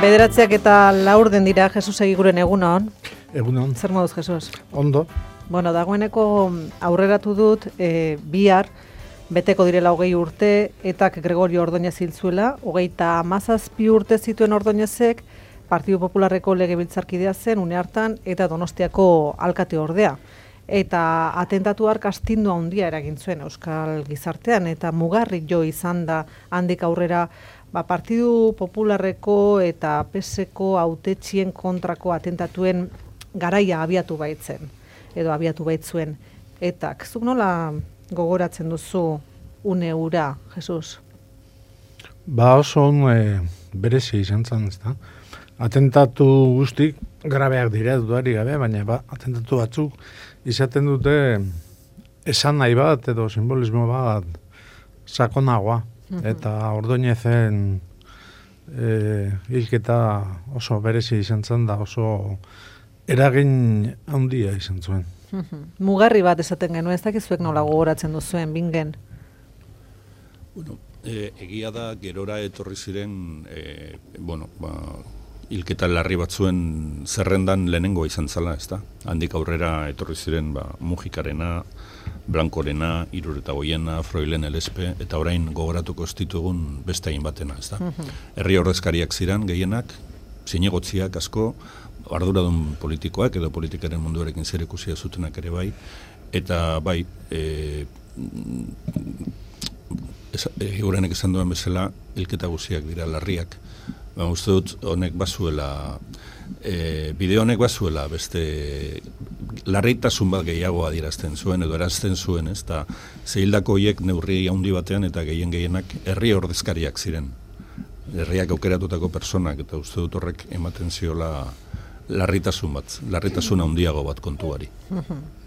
Bederatziak eta laur den dira, Jesus egiguren egunon. Egunon. Zer moduz, Jesus? Ondo. Bueno, dagoeneko aurreratu dut, bihar, beteko direla 20 urte, etak Gregorio Ordóñez hil zuela, 37 urte zituen Ordóñezek, Partidu Popularreko legebiltzarkidea zen, une hartan, eta Donostiako alkate ordea. Eta atentatu hark astindu handia eragin zuen Euskal gizartean, eta mugarri jo izan da handik aurrera, Partidu Popularreko eta PSeko hautetxien kontrako atentatuen garaia abiatu baitzen, edo abiatu baitzuen. Etak, zuk nola gogoratzen duzu une hura, Jesus? Oso berezi izan zen, ezta? Atentatu guztik grabeak dira dudarik gabe, baina atentatu batzuk izaten dute esan nahi bat edo simbolismo bat sakonagoa. Eta Ordóñezen hilketa oso berezi izan zen da, oso eragin handia izan zuen. Mugarri bat esaten genuen, ez dakizuek nola gogoratzen duzuen, bingen? Bueno, egia da, gerora etorri ziren, hilketa larri batzuen zerrendan lehenengo izan zala, ez da? Handik aurrera etorri ziren Mujikarena, Blankorena, Iruretagoiena, Froilen Elespe, eta orain gogoratuko stitugun beste hain batena, ez da? Herri ordezkariak ziren, gehienak, zinegotziak asko, arduradun politikoak edo politikaren munduarekin zerikusia zutenak ere bai, eta bai, eurenek esan duen bezala, hilketa guziak dira larriak. Uste dut, honek bazuela, bideo honek bazuela, beste larritasun bat gehiago adierazten zuen, edo erazten zuen, ez da, zehildako hiek neurri handi batean, eta gehienak herri ordezkariak ziren. Herriak aukeratutako personak, eta uste dut horrek ematen ziola larritasun bat, larritasun handiago bat kontuari.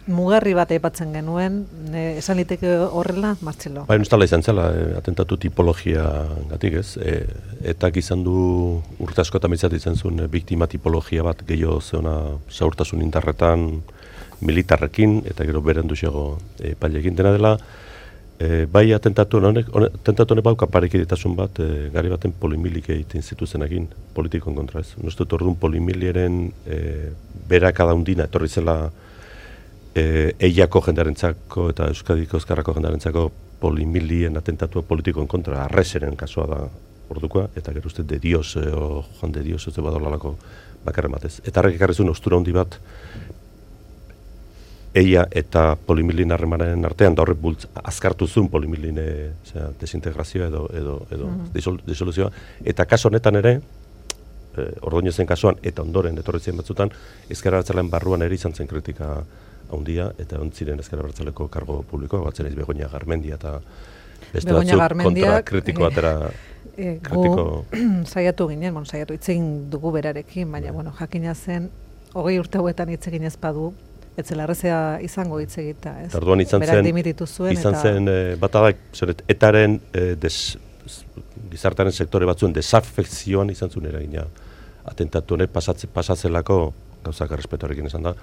Mugarri bat aipatzen genuen, esan liteke horrela, Martxelo? Nostala izan zela, atentatu tipologia gatik ez, etak izan du urte asko eta mitzat izan zuen biktima tipologia bat gehiago zeona zaurtasun indarretan militarrekin, eta gero beren duxego pailekin dena dela. Bai atentatu honek bauka parekidetasun bat, gari baten polimilik egiten zituzenekin politikon kontra ez. Nostut orduan polimiliaren berakada hundina etorri zela Eiako jendarentzako eta Euskadiko Ezkerrako jendarentzako polimilien atentatua politikoen kontra, arreseren kasua da ordukoa, eta gero uste de Dios, o Juan de Dios, ez badolalako bakarren batez. Eta harrek ekarrizun ostura handi bat, Eia eta polimilin harremanaren artean, da horrek azkartu zuen polimilin desintegrazioa edo disoluzioa, eta kaso honetan ere, Ordóñezen kasuan, eta ondoren etorritzen batzutan, Ezker Abertzaleen barruan ere izan zen kritika handia, eta ontziren Ezker Abertzaleko kargo publikoa, batzen ez Begoña Garmendia eta beste batzuk kontra kritiko atera kritiko. Saiatu ginen, saiatu itzegin dugu berarekin, baina jakina zen 20 urte hauetan itzegin ez badu, etzela errezea izango itzegita, ez? Tarduan izan zen batadak, etaren gizartaren sektore batzuen desafekzioan izan zuen eragina. Atentatu honek pasatzelako gauzak errespetoarekin esan da,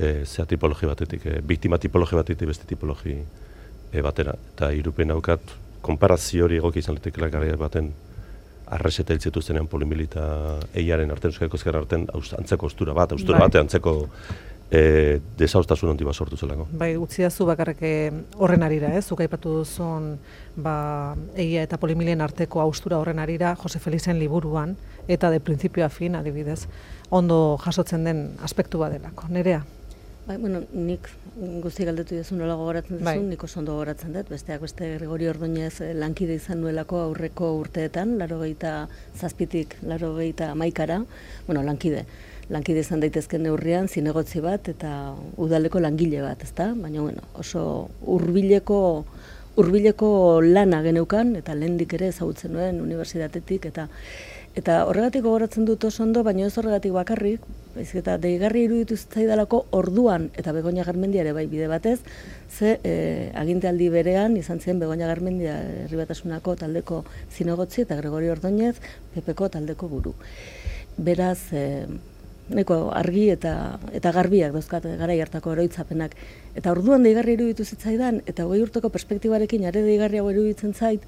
zea tipologi batetik, biktima tipologi batetik beste tipologi batera. Eta irupen haukat, konparazio hori egoki izan litekela gara baten arreseta hiltzetu zenean polimilita eiaren arten, Euskadiko Ezkerra arten, antzeko ostura bat, antzeko desauztasun handi bat sortu zelako. Bai, utzidazu bakarrik horren arira, zuk aipatu duzun egia eta polimilien arteko austura horren arira, Jose Felizen liburuan, eta de principio a fin, adibidez, ondo jasotzen den aspektu badelako. Nerea? Bai, nik guzti galdetu duzun nola gogoratzen duzun, nik oso ondo gogoratzen dut, besteak beste Gregorio Ordóñez lankide izan nuelako aurreko urteetan, 87tik 91ra, lankide izan daitezken neurrian, zinegotzi bat eta udaleko langile bat, ezta? Baina, oso hurbileko lana geneukan, eta lehendik ere ezagutzen nuen unibertsitatetik, eta horregatik gogoratzen dut oso ondo, baina ez horregatik bakarrik, baizik eta deigarri iruditu zitzaidalako orduan, eta Begoña Garmendia ere bai bide batez, ze agintealdi berean izan zen Begoña Garmendia Herri Batasunako taldeko zinegotzi eta Gregorio Ordóñez PPko taldeko buru. Beraz, nahiko argi eta garbiak dauzkat garai hartako oroitzapenak. Eta orduan deigarri iruditu zitzaidan, eta 20 urteko perspektibarekin are deigarriago iruditzen zait,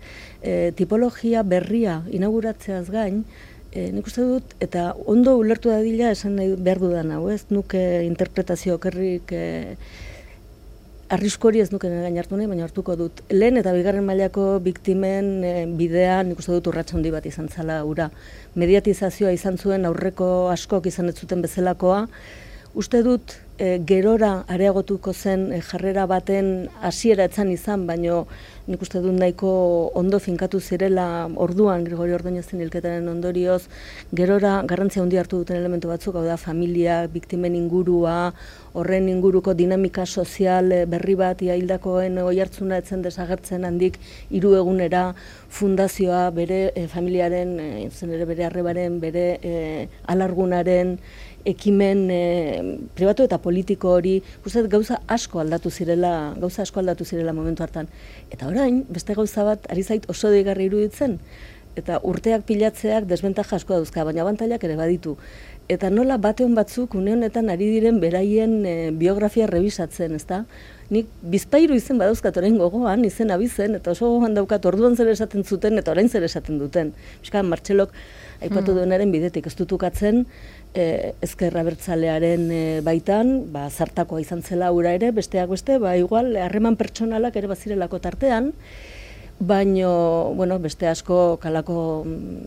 tipologia berria inauguratzeaz gain, nik uste dut, eta ondo ulertu dadila esan nahi behar dudan hau, ez nuke interpretazio okerrik arrisku hori ez nuke gain hartu nahi, baina hartuko dut. Lehen eta bigarren mailako biktimen bidean nik uste dut urrats handi bat izan zala ura. Mediatizazioa izan zuen aurreko askok izan ez zuten bezalakoa. Uste dut gerora areagotuko zen jarrera baten hasiera etzan izan, baino nik uste dut nahiko ondo finkatu zirela orduan Gregorio Ordóñezen hilketaren ondorioz, gerora garrantzia handi hartu duten elementu batzuk, hau da familia, biktimen ingurua, horren inguruko dinamika sozial berri bat, hildakoen oihartzuna etzen desagertzen handik 3 egunera fundazioa bere familiaren, zen ere bere arrebaren, bere alargunaren, ekimen pribatu eta politiko hori, uste gauza asko aldatu zirela momentu hartan. Eta orain, beste gauza bat ari zait oso deigarri iruditzen, eta urteak pilatzeak desbentaja asko dauzka, baina abantailak ere baditu. Eta nola bateon batzuk une honetan ari diren beraien biografia rebisatzen, ezta? Nik bizpahiru izen badauzkat orain gogoan, izen abizen, eta oso gogoan daukat orduan zer esaten zuten eta orain zer esaten duten. Piskat, Martxelok aipatu duenaren bidetik ez dutukatzen, ezker abertzalearen baitan, zartakoa izan zela ura ere, besteak beste, igual, harreman pertsonalak ere bazirelako tartean, baino, bueno, beste asko kalako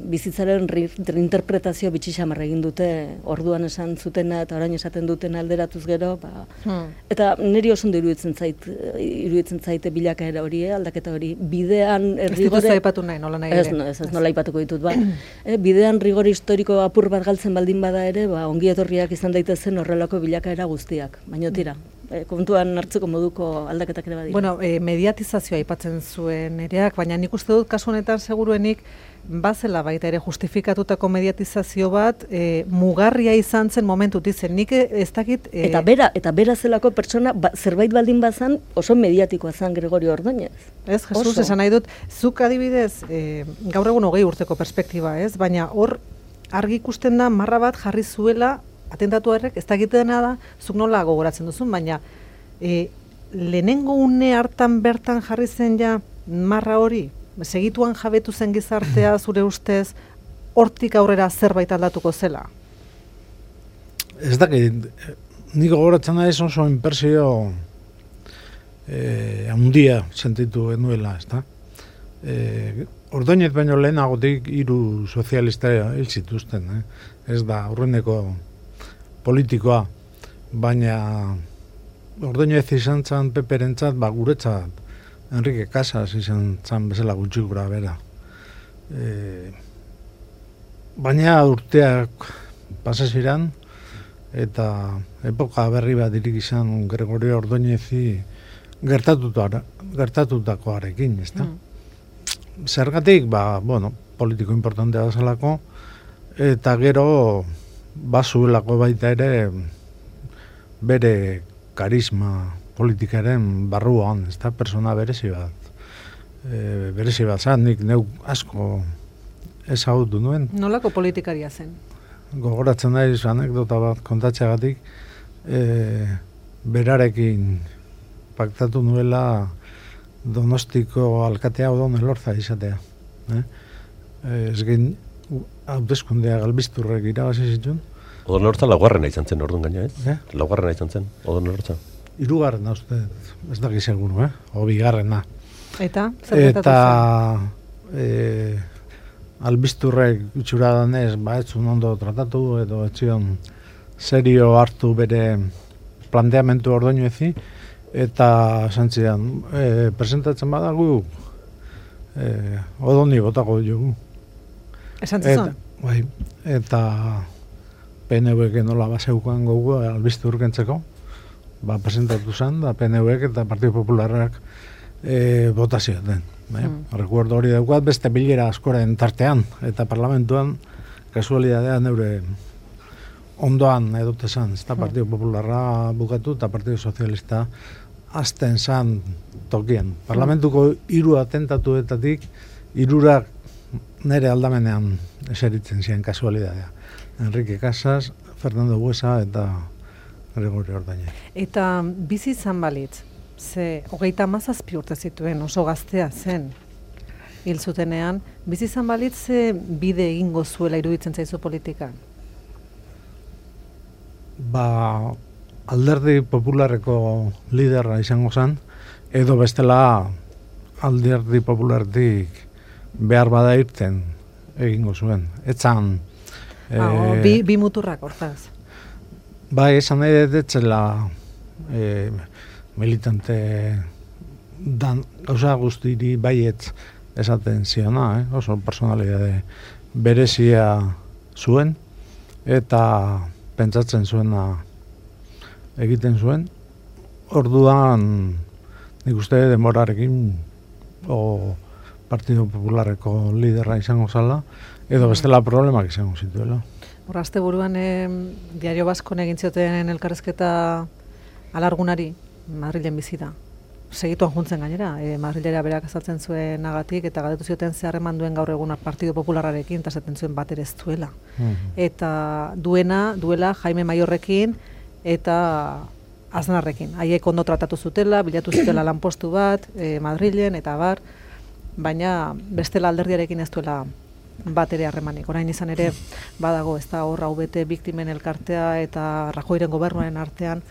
bizitzaren reinterpretazio bitxixamar egin dute orduan esan zutena eta orain esaten duten alderatuz gero, eta niri oso ondo iruditzen zaite bilakaera hori, aldaketa hori, bidean rigore... Ez dituzu aipatu nahi, nola nahi ere? Ez nola aipatuko ditut, bidean rigore historiko apur bat galtzen baldin bada ere, ongi etorriak izan daitezen horrelako bilakaera guztiak, baino tira. Kontuan hartzeko moduko aldaketak ere badira. Bueno, mediatizazioa aipatzen zuen ereak, baina nik uste dut kasu honetan seguruenik bazela baita ere justifikatutako mediatizazio bat mugarria izan zen momentutik zen. Nik ez dakit... Eta bera zelako pertsona zerbait baldin bazan oso mediatikoa zen Gregorio Ordóñez. Ez, Jesus, esan nahi dut, zuk adibidez, gaur egun 20 urteko perspektiba, ez? Baina hor argi ikusten da marra bat jarri zuela atentatu horrek, ez dakitena da, zuk nola gogoratzen duzun, baina lehenengo une hartan bertan jarri zen ja marra hori, segituan jabetu zen gizartea zure ustez, hortik aurrera zerbait aldatuko zela? Ez dakit, nik gogoratzen da ez oso inpersio handia sentitu genuela, ez da? Ordóñez baino lehenagotik 3 sozialista hil zituzten, ez da, aurreneko politikoa, baina Ordóñez izan zan peperentzat, guretzat Enrique Casas izan zan bezala gutxi gura bera. Baina urteak pasa ziren, eta epoka berri bat irik izan Gregorio Ordóñezi gertatutakoarekin, ezta? Zergatik, politiko importantea zelako, eta gero bazuelako baita ere bere karisma politikaren barruan, ez da, persona berezi bat zan, nik neuk asko ezagutu nuen. Nolako politikaria zen? Gogoratzen naiz anekdota bat kontatzeagatik, berarekin paktatu nuela Donostiko alkatea Odon Elorza izatea. Ez gen hauteskundea Galbisturrek irabazi zituen. Odon Elorza laugarrena izan zen orduan gaina, ez? Laugarrena izan zen, Odon Elorza. 3. uste, ez daki seguru, o 2. Eta? Eta Albisturrek itxura danez, ez zuen ondo tratatu, edo ez zion serio hartu bere planteamentu Ordóñezi, eta santzidan, presentatzen badagu, Odoni botako dugu. Esan zizun? Bai, eta PNV-ek nola baseukan gogu Albistur kentzeko, presentatu zen, da PNV-ek eta Partido Popularrak botazio den. Rekuerdo hori daukat beste bilera askoren tartean, eta parlamentuan kasualidadea neure ondoan edote zan, ez da Partido Popularra bukatu eta Partido Sozialista azten zan tokien. Parlamentuko 3 atentatuetatik 3 nere aldamenean eseritzen ziren kasualidadea. Enrique Casas, Fernando Buesa eta Gregorio Ordóñez. Eta bizi izan balitz, ze 37 urte zituen, oso gaztea zen. hil zutenean, bizi izan balitz bide egingo zuela iruditzen zaizu politikan? Alderdi popularreko liderra izango zen, edo bestela alderdi populartik behar bada irten egingo zuen. Etzan... bi muturrak, hortaz. Bai, esan nahi detzela militante dan gauza guztiri baietz esaten ziona, oso personalidade berezia zuen, eta pentsatzen zuena egiten zuen. Orduan, nik uste demorarekin Partido Popularreko liderra izango zala, edo bestela problemak izango zituela. Hor, azte buruan Diario Baskon egin zioten elkarrezketa alargunari, Madrilen bizi da. Segituan juntzen gainera, Madrilera berak azaltzen zuen agatik, eta galdetu zioten zeharreman duen gaur egun Partido Popularrarekin, eta esaten zuen bat ere ez duela. Eta duela Jaime Maiorrekin, eta Aznarrekin. Haiek ondo tratatu zutela, bilatu zutela lanpostu bat, Madrilen, eta bar, baina bestela alderdiarekin ez duela bat ere harremanik. Orain izan ere badago, ez da hor bete biktimen elkartea eta Rajoyren gobernuaren artean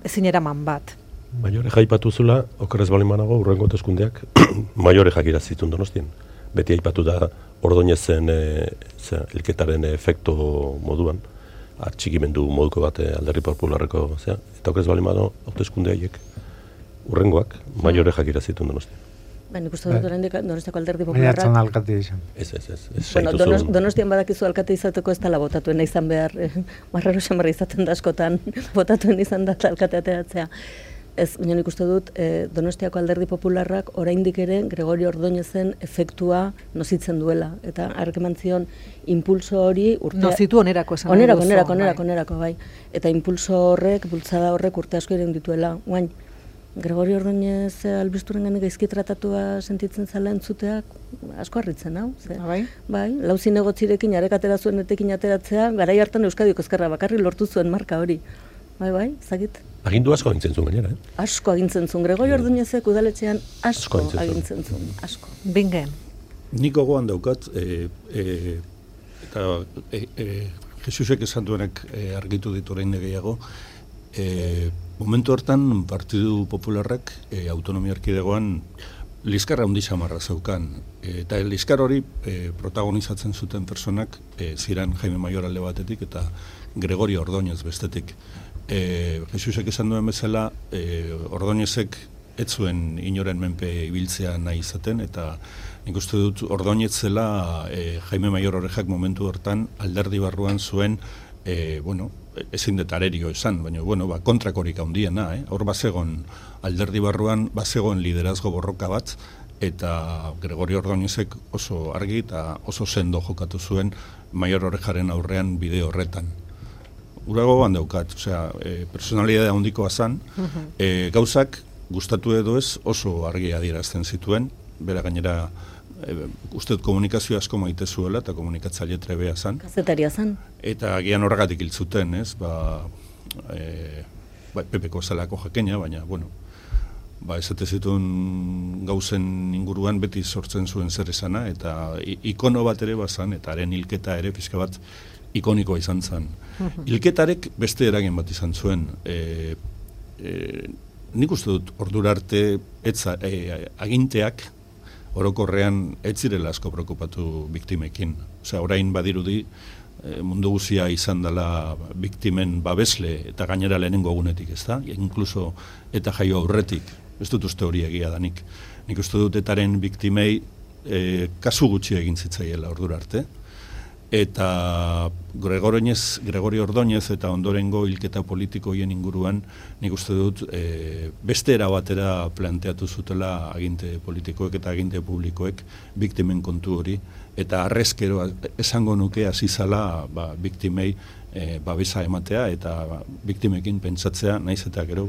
ezin eraman bat. Maiore jaipatu zula, okerrez bali manago, urrengo hauteskundeak Maiore jakira zituen Donostian. Beti aipatu da Ordóñezen hilketaren efekto moduan, atxikimendu moduko bat alderdi popularreko, eta okerrez bali manago hauteskunde haiek urrengoak Maiore jakira zituen Donostian. Nik uste dut oraindik Donostiako alderdi popularrak... Maiatzen alkate izan. Ez. Bueno, Donostian badakizu alkate izateko ez dela botatuen izan behar. Marraro xamarra izaten da askotan botatuen izan da alkate ateratzea. Ez, baina nik uste dut Donostiako alderdi popularrak oraindik ere Gregorio Ordóñezen efektua nozitzen duela. Eta ark eman zion impulso hori urte... Nozitu onerako esan. Onerako, bai. Eta impulso horrek, bultzada horrek urte asko eren dituela. Guain, Gregorio Ordóñez albisturen gandik gaizki tratatua sentitzen zala entzuteak asko harritzen, hau? Bai, lau zinegotzirekin arekatera zuen etekin ateratzea, garai hartan Euskadiko Ezkerra bakarri lortu zuen marka hori. Bai, zagit. Agindu asko agintzen zuen gainera, Asko agintzen zuen. Gregorio Ordóñezek udaletxean asko agintzen zuen. Asko. Bingen. Nik gogoan daukat, eta Jesusek esan duenek argitu ditu orain gehiago, momentu hortan Partidu Popularrak autonomia erkidegoan liskarra handi samarra zeukan. Eta liskar hori protagonizatzen zuten personak ziren Jaime Maior alde batetik eta Gregorio Ordóñez bestetik. Jesusek esan duen bezala, Ordóñezek ez zuen inoren menpe ibiltzea nahi izaten, eta nik uste dut Ordóñez zela Jaime Maior horrejak momentu hortan alderdi barruan zuen, ezin detarerio esan, baina, kontrakorik handiena, hor bazegon alderdi barruan, bazegon liderazgo borroka bat, eta Gregorio Ordóñezek oso argi eta oso sendo jokatu zuen Maior Orejaren aurrean bide horretan. Urago bandaukat, personalidade handikoa zan, gauzak gustatu edo ez oso argi adierazten zituen, bera gainera uste komunikazio asko maite zuela eta komunikatzaile trebea zan. Kazetaria zan. Eta agian horregatik hil zuten, ez? Pepeko zelako jakena, baina, esate zituen gauzen inguruan beti sortzen zuen zer esana, eta ikono bat ere bazan, eta haren hilketa ere pixka bat ikonikoa izan zen. Hilketarek beste eragin bat izan zuen. Nik uste dut ordura arte aginteak orokorrean ez zirela asko preokupatu biktimekin. Orain badirudi mundu guzia izan dela biktimen babesle eta gainera lehenengo egunetik, ez da? Inkluso eta jaio aurretik, ez dut uste hori egia danik. Nik uste dut etaren biktimei kasu gutxi egin zitzaiela ordura arte. Eta Gregorio Ordóñez eta ondorengo hilketa politikoien inguruan nik uste dut beste era batera planteatu zutela aginte politikoek eta aginte publikoek biktimen kontu hori, eta arrezkero esango nuke hasi zala biktimei babesa ematea eta biktimekin pentsatzea naiz eta gero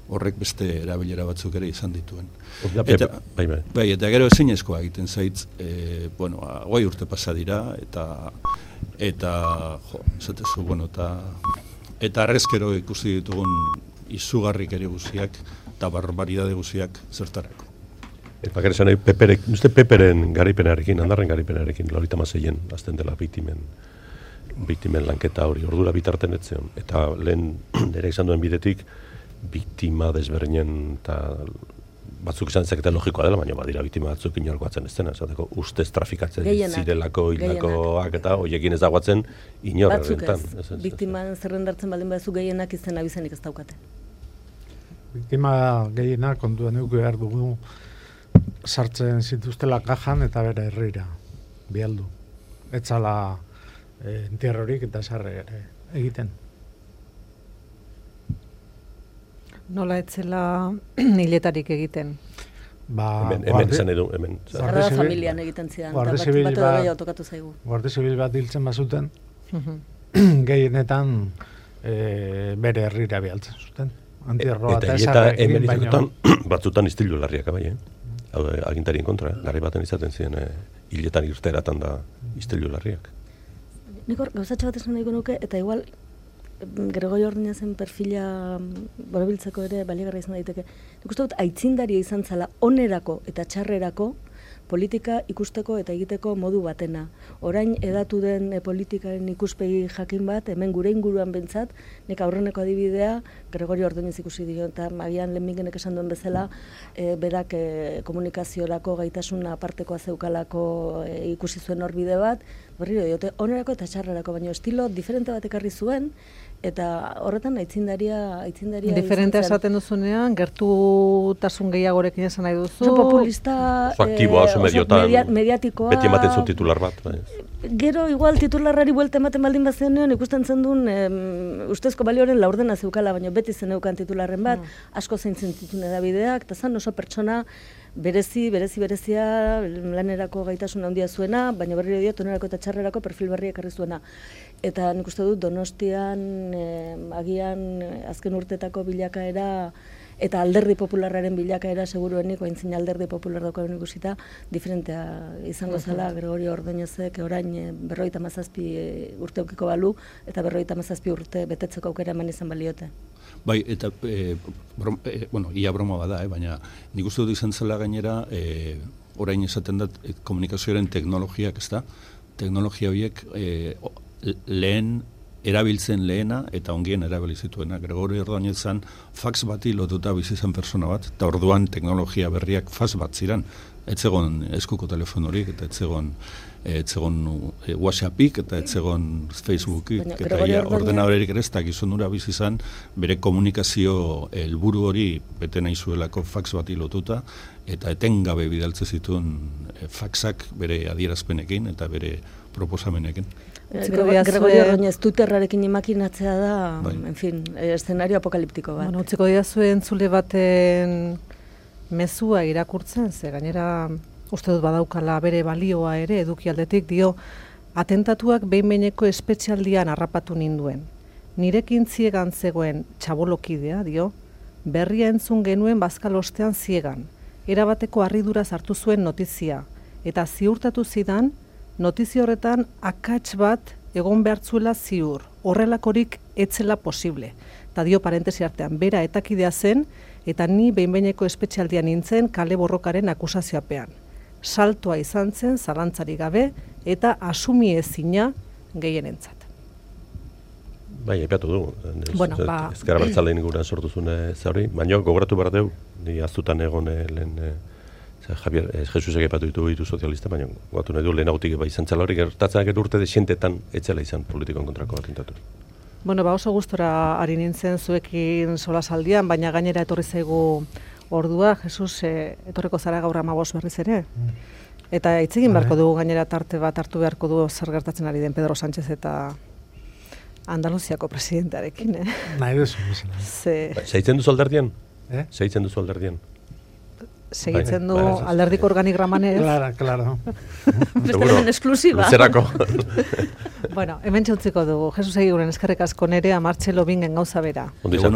horrek beste erabilera batzuk ere izan dituen. Eta gero ezinezkoa egiten zaitz, 20 urte pasa dira, eta arrezkero ikusi ditugun izugarrik ere guziak, eta barbaridade guziak zertarako. Bakarrik esan nahi, Peperen garaipenarekin, Andarren garaipenarekin, 96-en, azten dela biktimen lanketa hori, ordura bitarten etzeon. Eta lehen, nire izan duen bidetik, biktima desberdinen eta batzuk izan zeketa logikoa dela, baina badira biktima batzuk inorkoatzen ez dena, esateko ustez trafikatzen zirelako hilakoak eta hoiekin ez dagoatzen inor. Batzuk ez, biktiman zerrendartzen baldin baduzu gehienak izen abizenik ez daukate. Biktima gehienak kontuan eduki behar dugu sartzen zituztela kajan eta bere herrira, bialdu. Etzala entierrorik eta sarre egiten. Nola etzela hiletarik egiten? Hemen zen edu, hemen. Zarra familian egiten zidan, eta bat edo gehiago tokatu zaigu. Guardia Zibil bat hiltzen bazuten, gehienetan bere herrira bialtzen zuten. Antierroa eta esarrekin baino. Batzutan istilu larriak bai, agintarien kontra, garri baten izaten ziren hiletan irteratan da istilu larriak. Nik hor, gauzatxo bat esan nahiko nuke, eta igual Gregorio Ordoñazen perfila borobiltzeko ere baliagarria izan daiteke. Nik uste dut aitzindaria izan zala onerako eta txarrerako politika ikusteko eta egiteko modu batena. Orain edatu den politikaren ikuspegi jakin bat, hemen gure inguruan bentsat, nek aurreneko adibidea Gregorio Ordoñez ikusi dio, eta agian lehenbingenek esan duen bezala, berak komunikaziorako gaitasuna apartekoa zeukalako ikusi zuen horbide bat, berriro diote, onerako eta txarrerako, baina estilo diferente bat ekarri zuen, eta horretan aitzindaria diferente esaten duzunean, gertutasun gehiagorekin esan nahi duzu. Oso populista, aktiboa, oso mediotan, mediatikoa. Beti ematen zu titular bat. Gero, igual titularrari buelta ematen baldin bazenean, ikusten zen duen ustezko balioren laurdena zeukala, baina beti zen eukan titularren bat, asko zeintzen zituen edabideak, eta zan oso pertsona berezia lanerako gaitasun handia zuena, baina berriro diot onerako eta txarrerako perfil berria ekarri zuena. Eta nik uste dut Donostian agian azken urtetako bilakaera eta alderdi popularraren bilakaera seguruenik, ointzin alderdi popular daukagun ikusita, diferentea izango zela Gregorio Ordoñezek orain 57 urte eukiko balu, eta 57 urte betetzeko aukera eman izan baliote. Bai, eta, ia broma bada, baina nik uste dut izan zela gainera, orain esaten dut komunikazioaren teknologiak, ez da? Teknologia horiek lehen erabiltzen lehena eta ongien erabilizituena. Gregorio Ordoñezan fax bati lotuta bizi zen persona bat, eta orduan teknologia berriak fax bat ziren. Etzegon eskuko telefonorik, eta etzegon WhatsAppik, eta etzegon Facebookik, eta ordenadorerik ere ez da gizonura bizi zen, bere komunikazio helburu hori bete nahi zuelako fax bati lotuta, eta etengabe bidaltze zituen faxak bere adierazpenekin eta bere proposamenekin. Gregorio Ordoñez Twitterrarekin imaginatzea da, en fin, eszenario apokaliptiko bat. Bueno, utziko diazue entzule baten mezua irakurtzen, ze gainera uste dut badaukala bere balioa ere edukialdetik, dio, atentatuak behin-behineko espetxialdian harrapatu ninduen. Nirekin ziegan zegoen txabolokidea, dio, berria entzun genuen bazkal ostean ziegan. Erabateko harridura sartu zuen notizia, eta ziurtatu zidan, notizia horretan akats bat egon behartzuela ziur, horrelakorik etzela posible. Eta dio parentesi artean, bera etakidea zen, eta ni behin-behineko espetxialdian nintzen kale borrokaren akusazioapean. Saltoa izan zen, zalantzarik gabe, eta asumi ezina gehienentzat. Bai, aipatu du. Bueno, ezkera bertzalein guran sortu zuen zauri, baina gogoratu behar deu, ni aztutan egon lehen Javier, Jesusek aipatu ditu sozialista, baina gogatu nahi du lehenagotik izan txala hori gertatzen urte desientetan etxela izan politikon kontrako atentatu. Bueno, oso gustora ari nintzen zuekin solasaldian, baina gainera etorri zaigu ordua, Jesus, etorriko zara gaur 15 berriz ere. Eta hitz egin beharko dugu gainera tarte bat hartu beharko du zer gertatzen ari den Pedro Sánchez eta Andaluziako presidentearekin, Nahi duzu, mesela. Segitzen duzu alderdian? Segitzen duzu alderdian? Segitzen du alderdiko organigraman ez. Claro. Bestelen esklusiba. Luzerako. Bueno, hemen txutziko dugu. Jesus egiguren eskerrik asko Nerea, Martxelo Bingen gauza bera. Ondo izan.